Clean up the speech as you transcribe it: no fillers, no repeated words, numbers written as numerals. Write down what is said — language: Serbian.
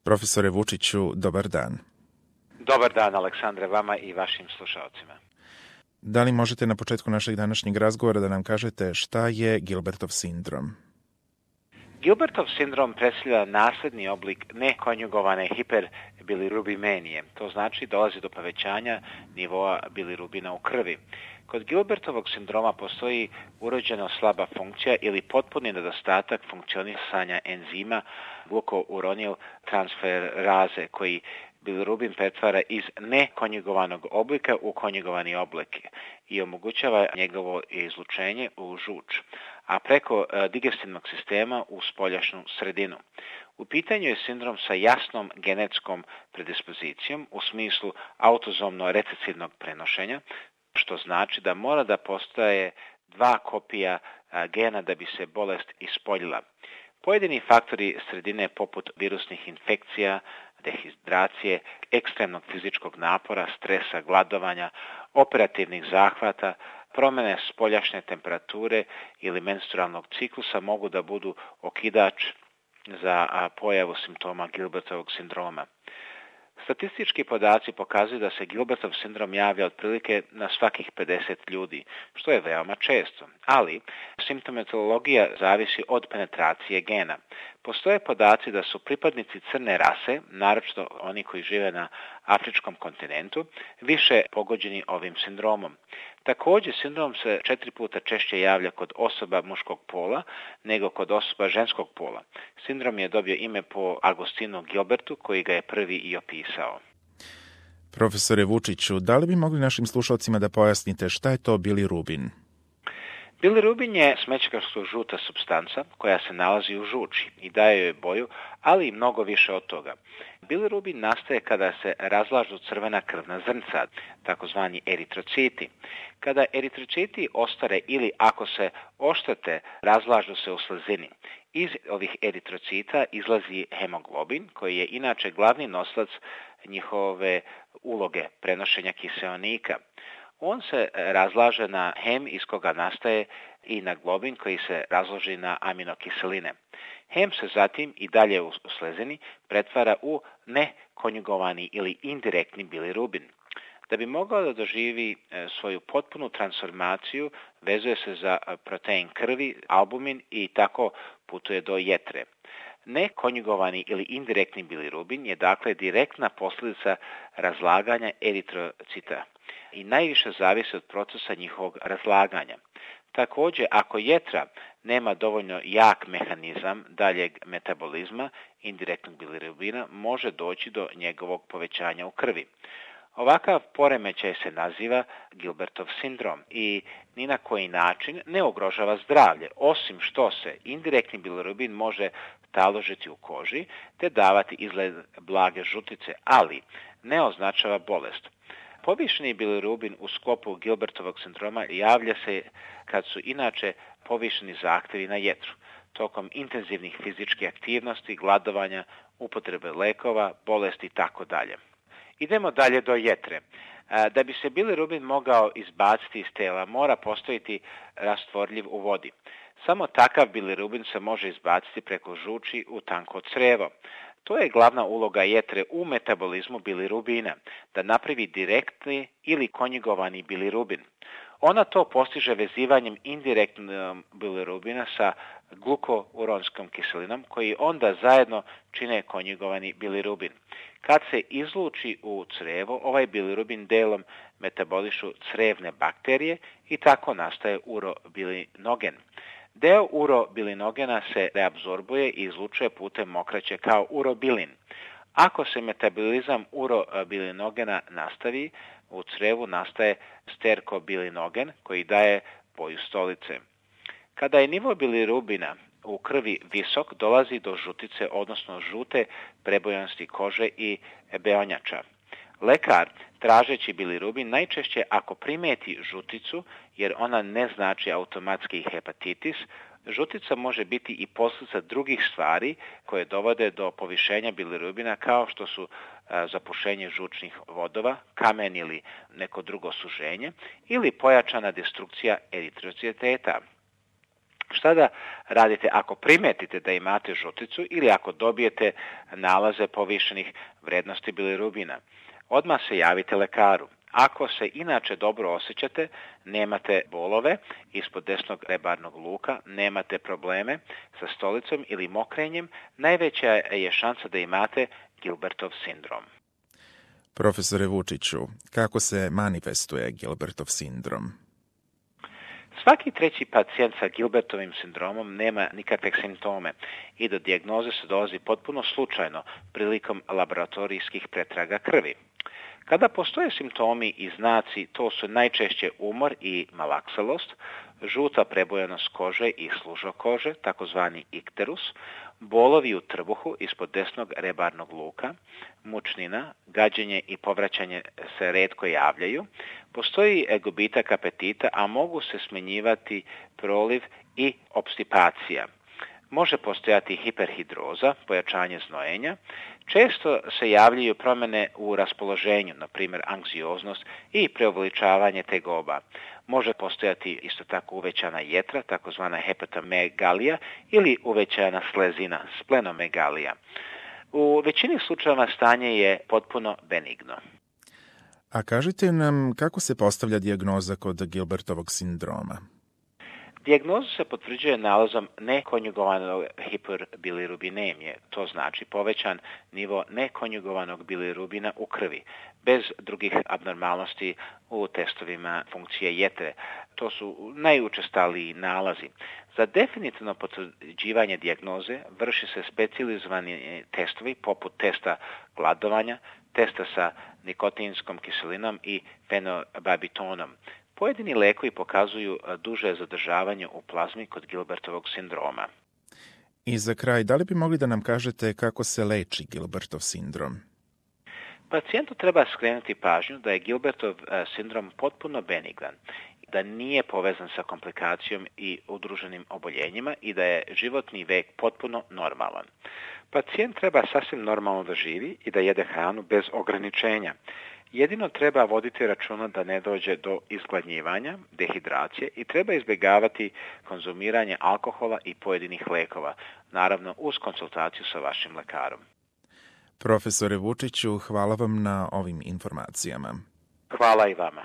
Profesore Vučiću, dobar dan. Dobar dan, Aleksandre, vama i vašim slušalcima. Da li možete na početku našeg današnjeg razgovora da nam kažete šta je Gilbertov sindrom? Gilbertov sindrom predstavlja nasledni oblik nekonjugovane hiperbilirubimenije. To znači dolazi do povećanja nivoa bilirubina u krvi. Kod Gilbertovog sindroma postoji urođeno slaba funkcija ili potpuni nedostatak funkcionisanja enzima glukouronil transferaze koji bilirubin pretvara iz nekonjugovanog oblika u konjugovani oblik i omogućava njegovo izlučenje u žuč, a preko digestivnog sistema u spoljašnju sredinu. U pitanju je sindrom sa jasnom genetskom predispozicijom u smislu autozomno recesivnog prenošenja, što znači da mora da postoje 2 kopija gena da bi se bolest ispoljila. Pojedini faktori sredine poput virusnih infekcija, dehidracije, ekstremnog fizičkog napora, stresa, gladovanja, operativnih zahvata, promjene spoljašnje temperature ili menstrualnog ciklusa mogu da budu okidač za pojavu simptoma Gilbertovog sindroma. Statistički podaci pokazuju da se Gilbertov sindrom javlja otprilike na svakih 50 ljudi, što je veoma često, ali simptomatologija zavisi od penetracije gena. Postoje podaci da su pripadnici crne rase, naročito oni koji žive na afričkom kontinentu, više pogođeni ovim sindromom. Također, sindrom se 4 puta češće javlja kod osoba muškog pola nego kod osoba ženskog pola. Sindrom je dobio ime po Agostinu Gilbertu, koji ga je prvi i opisao. Profesore Vučiću, da li bi mogli našim slušalcima da pojasnite šta je to bilirubin? Bilirubin je smećkasto žuta supstanca koja se nalazi u žuči i daje joj boju, ali i mnogo više od toga. Bilirubin nastaje kada se razlažu crvena krvna zrnca, takozvani eritrociti. Kada eritrociti ostare ili ako se oštete, razlažu se u slezini. Iz ovih eritrocita izlazi hemoglobin, koji je inače glavni nosilac njihove uloge prenošenja kiseonika. On se razlaže na hem iz koga nastaje i na globin koji se razloži na aminokiseline. Hem se zatim i dalje u slezini pretvara u nekonjugovani ili indirektni bilirubin. Da bi mogao da doživi svoju potpunu transformaciju, vezuje se za protein krvi, albumin i tako putuje do jetre. Nekonjugovani ili indirektni bilirubin je dakle direktna posljedica razlaganja eritrocita i najviše zavisi od procesa njihovog razlaganja. Također, ako jetra nema dovoljno jak mehanizam daljeg metabolizma indirektnog bilirubina, može doći do njegovog povećanja u krvi. Ovakav poremećaj se naziva Gilbertov sindrom i ni na koji način ne ugrožava zdravlje, osim što se indirektni bilirubin može taložiti u koži te davati izgled blage žutice, ali ne označava bolest. Povišeni bilirubin u sklopu Gilbertovog sindroma javlja se kad su inače povišeni zahtjevi na jetru, tokom intenzivnih fizičkih aktivnosti, gladovanja, upotrebe lekova, bolesti itd. Idemo dalje do jetre. Da bi se bilirubin mogao izbaciti iz tela, mora postojiti rastvorljiv u vodi. Samo takav bilirubin se može izbaciti preko žuči u tanko crevo. To je glavna uloga jetre u metabolizmu bilirubina, da napravi direktni ili konjugovani bilirubin. Ona to postiže vezivanjem indirektnog bilirubina sa glukouronskom kiselinom, koji onda zajedno čine konjugovani bilirubin. Kad se izluči u crevo, ovaj bilirubin delom metabolišu crevne bakterije i tako nastaje urobilinogen. Deo urobilinogena se reabsorbuje i izlučuje putem mokraće kao urobilin. Ako se metabolizam urobilinogena nastavi, u crevu nastaje sterkobilinogen koji daje boju stolice. Kada je nivo bilirubina u krvi visok, dolazi do žutice, odnosno žute prebojanosti kože i beonjača. Lekar, tražeći bilirubin, najčešće ako primeti žuticu, jer ona ne znači automatski hepatitis, žutica može biti i posljedica drugih stvari koje dovode do povišenja bilirubina kao što su zapušenje žučnih vodova, kamen ili neko drugo suženje ili pojačana destrukcija eritrociteta. Šta da radite ako primetite da imate žuticu ili ako dobijete nalaze povišenih vrednosti bilirubina? Odmah se javite lekaru. Ako se inače dobro osjećate, nemate bolove ispod desnog rebarnog luka, nemate probleme sa stolicom ili mokrenjem, najveća je šansa da imate Gilbertov sindrom. Profesore Vučiću, kako se manifestuje Gilbertov sindrom? Svaki treći pacijent sa Gilbertovim sindromom nema nikakve simptome i do dijagnoze se dolazi potpuno slučajno prilikom laboratorijskih pretraga krvi. Kada postoje simptomi i znaci, to su najčešće umor i malakselost, žuta prebojanost kože i služo kože, takozvani ikterus, bolovi u trbuhu ispod desnog rebarnog luka, mučnina, gađenje i povraćanje se retko javljaju, postoji gubitak apetita, a mogu se smenjivati proliv i opstipacija. Može postojati hiperhidroza, pojačanje znojenja. Često se javljaju promjene u raspoloženju, na primjer anksioznost i preuveličavanje tegoba. Može postojati isto tako uvećana jetra, takozvana hepatomegalija ili uvećana slezina, splenomegalija. U većini slučajeva stanje je potpuno benigno. A kažite nam kako se postavlja dijagnoza kod Gilbertovog sindroma? Dijagnoza se potvrđuje nalazom nekonjugovanog hiperbilirubinemije, to znači povećan nivo nekonjugovanog bilirubina u krvi, bez drugih abnormalnosti u testovima funkcije jetre. To su najučestaliji nalazi. Za definitivno potvrđivanje dijagnoze vrši se specijalizovani testovi poput testa gladovanja, testa sa nikotinskom kiselinom i fenobarbitonom. Pojedini lekovi pokazuju duže zadržavanje u plazmi kod Gilbertovog sindroma. I za kraj, da li bi mogli da nam kažete kako se leči Gilbertov sindrom? Pacijentu treba skrenuti pažnju da je Gilbertov sindrom potpuno benignan, da nije povezan sa komplikacijom i udruženim oboljenjima i da je životni vek potpuno normalan. Pacijent treba sasvim normalno da živi i da jede hranu bez ograničenja. Jedino treba voditi računa da ne dođe do izgladnjivanja, dehidracije i treba izbjegavati konzumiranje alkohola i pojedinih lekova, naravno uz konsultaciju sa vašim lekarom. Profesore Vučiću, hvala vam na ovim informacijama. Hvala i vama.